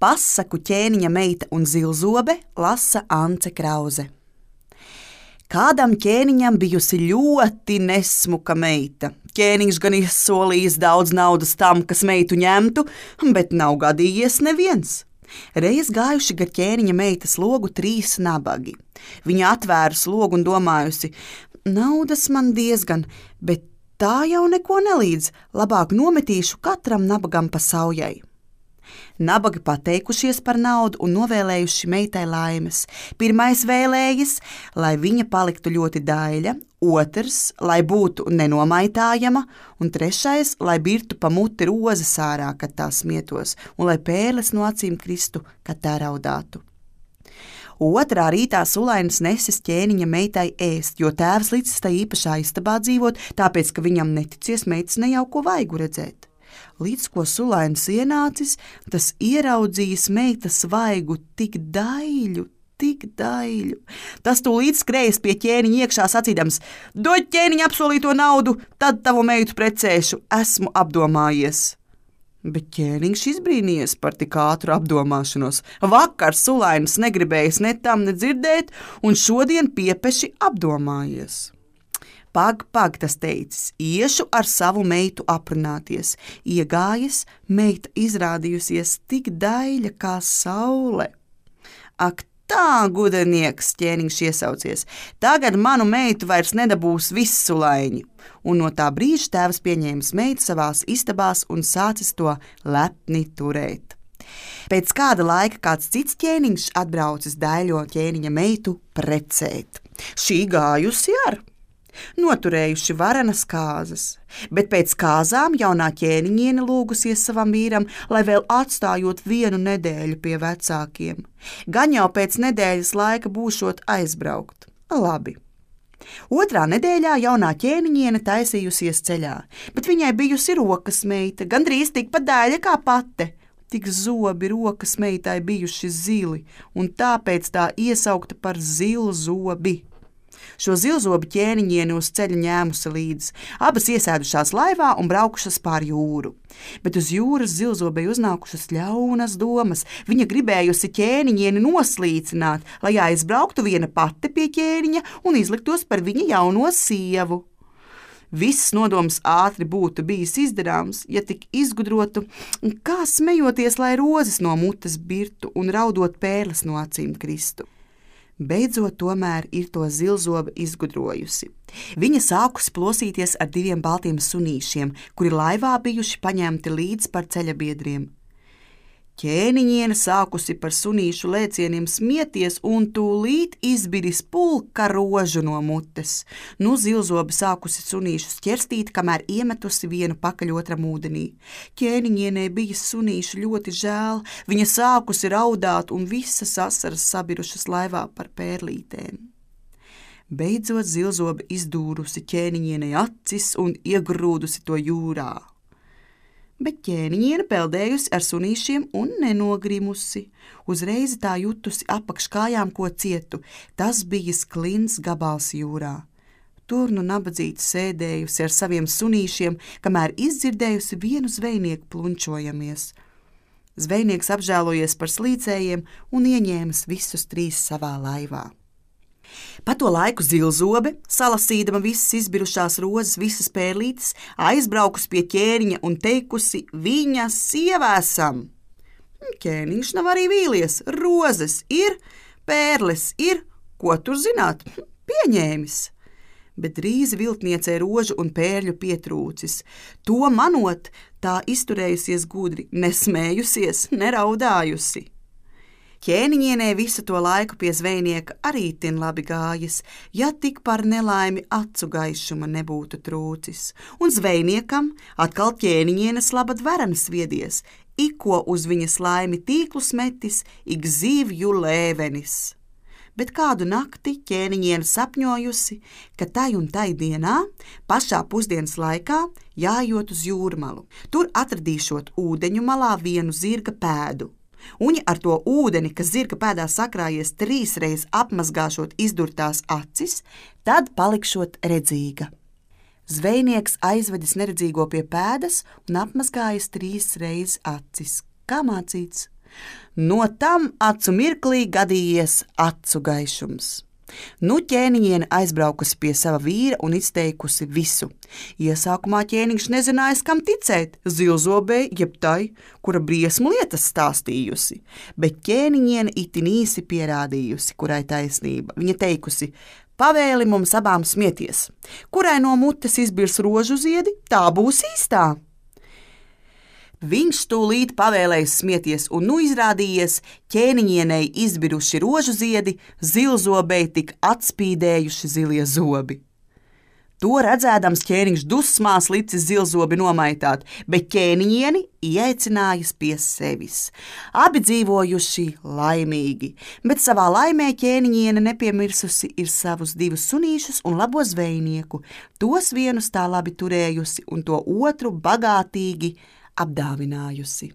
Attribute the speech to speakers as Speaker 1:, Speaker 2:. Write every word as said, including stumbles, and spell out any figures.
Speaker 1: Pasaku Ķēniņa meita un zilzobe lasa Ance Krauze. Kādam ķēniņam bijusi ļoti nesmuka meita. Ķēniņš gan izsolījis daudz naudas tam, kas meitu ņemtu, bet nav gadījies neviens. Reiz gājuši gar ķēniņa meitas logu trīs nabagi. Viņa atvērusi logu un domājusi, naudas man diezgan, bet tā jau neko nelīdz, labāk nometīšu katram nabagam pa saujai. Nabagi pateikušies par naudu un novēlējuši meitai laimes. Pirmais vēlējies, lai viņa paliktu ļoti daļa, otrs, lai būtu nenomaitājama, un trešais, lai birtu pa muti rozes ārā, kad tā smietos, un lai pērles no acīm kristu, kad tā raudātu. Otrā rītā Sulainis nesis ķēniņa meitai ēst, jo tēvs licis tai īpašā istabā dzīvot, tāpēc, ka viņam neticies meitas nejauko vaigu redzēt. Līdz ko Sulainis ienācis, tas ieraudzījis meitas vaigu tik daļu, tik daļu. Tas tūlīt skrējas pie ķēniņa iekšā sacīdams, dod ķēniņa apsolīto naudu, tad tavu meitu precēšu, esmu apdomājies. Bet ķēniņš izbrīnījies par tik ātru apdomāšanos. Vakar Sulainis negribējis ne tam nedzirdēt, un šodien piepeši apdomājies. Pag, pag, tas teicis, iešu ar savu meitu aprunāties. Iegājis, meita izrādījusies tik daļa kā saule. Ak, tā, gudrinieks, ķēniņš iesaucies, tagad manu meitu vairs nedabūs viss Sulaiņi. Un no tā brīža tēvs pieņēmis meitu savās istabās un sācis to lepni turēt. Pēc kāda laika kāds cits ķēniņš atbraucis daļo ķēniņa meitu precēt. Šī gājusi ar. Noturējuši varenas kāzas, bet pēc kāzām jaunā ķēniņiene lūgusies savam vīram, lai vēl atstājot vienu nedēļu pie vecākiem. Gan jau pēc nedēļas laika būšot aizbraukt. Labi. Otrā nedēļā jaunā ķēniņiene taisījusies ceļā, bet viņai bijusi rokas meita, gandrīz tikpat daļa kā pate. Tik zobi rokas meitai bijuši zili, un tāpēc tā iesaukta par zilzobi. Šo zilzobi ķēniņieni uz ceļa ņēmusi līdzi. Abas iesēdušās laivā un braukušas pār jūru. Bet uz jūras zilzobei uznākušas ļaunas domas. Viņa gribējusi ķēniņieni noslīcināt, lai aizbrauktu viena pati pie ķēniņa un izliktos par viņa jauno sievu. Viss nodoms ātri būtu bijis izdarāms, ja tik izgudrotu, kā smejoties, lai rozes no mutes birtu un raudot pērles no acīm kristu. Beidzot tomēr ir to zilzobe izgudrojusi. Viņa sākusi plosīties ar diviem baltiem sunīšiem, kuri laivā bijuši paņemti līdz par ceļabiedriem. Ķēniņiene sākusi par sunīšu lēcieniem smieties un tūlīt izbiris pulka rožu no mutes. Nu zilzobe sākusi sunīšus ķerstīt, kamēr iemetusi vienu pakaļ otram ūdenī. Ķēniņienei bija sunīšu ļoti žēl, viņa sākusi raudāt un visas asaras sabirušas laivā par pērlītēm. Beidzot zilzobe izdūrusi ķēniņienei acis un iegrūdusi to jūrā. Bet ķēniņiene peldējusi ar sunīšiem un nenogrimusi. Uzreiz tā jutusi apakš kājām ko cietu, tas bija klints gabals jūrā. Tur nu nabadzīte sēdējusi ar saviem sunīšiem, kamēr izdzirdējusi vienu zvejnieku plunčojamies. Zvejnieks apžēlojies par slīcējiem un ieņēmis visus trīs savā laivā. Pa to laiku zilzobe, salasīdama visas izbirušās rozes, visas pērlītes, aizbraukusi pie ķēniņa un teikusi, viņa sievēsam. Ķēniņš nav arī vīlies, rozes ir, pērles ir, ko tur zināt, pieņēmis. Bet drīz viltniecei rožu un pērļu pietrūcis. To manot, tā izturējusies gudri, nesmējusies, neraudājusi. Ķēniņienē visu to laiku pie zvejnieka arī tin labi gājis, ja tik par nelaimi acu gaišuma nebūtu trūcis. Un zvejniekam atkal ķēniņienes labad varenas viedies, ikko uz viņas laimi tīklus metis, ik zivju lēvenis. Bet kādu nakti ķēniņiene sapņojusi, ka tai un tai dienā, pašā pusdienas laikā, jājot uz jūrmalu. Tur atradīšot ūdeņu malā vienu zirga pēdu. Uņi ar to ūdeni, kas zirga pēdā sakrājies trīsreiz apmazgāšot izdurtās acis, tad palikšot redzīga. Zvejnieks aizvedis neredzīgo pie pēdas un apmazgājis trīsreiz acis. Kā mācīts? No tam acu mirklī gadījies acu gaišums. Nu ķēniņiene aizbraukusi pie sava vīra un izteikusi visu. Iesākumā ķēniņš nezinājis, kam ticēt, zilzobei jeb tai, kura briesmu lietas stāstījusi, bet ķēniņiene itin īsi pierādījusi, kurai taisnība. Viņa teikusi: pavēli mums abām smieties, kurai no mutes izbirs rožu ziedi, tā būs īstā. Viņš tūlīt pavēlējis smieties, un nu izrādījies ķēniņienei izbiruši rožu ziedi, zilzobei tik atspīdējuši zilie zobi. To redzēdams ķēniņš dusmās licis zilzobi nomaitāt, bet ķēniņieni ieaicinājis pie sevis. Abi dzīvojuši laimīgi, bet savā laimē ķēniņiene nepiemirsusi ir savus divus sunīšus un labo zvejnieku. Tos vienus tā labi turējusi un to otru bagātīgi apdāvinājusi.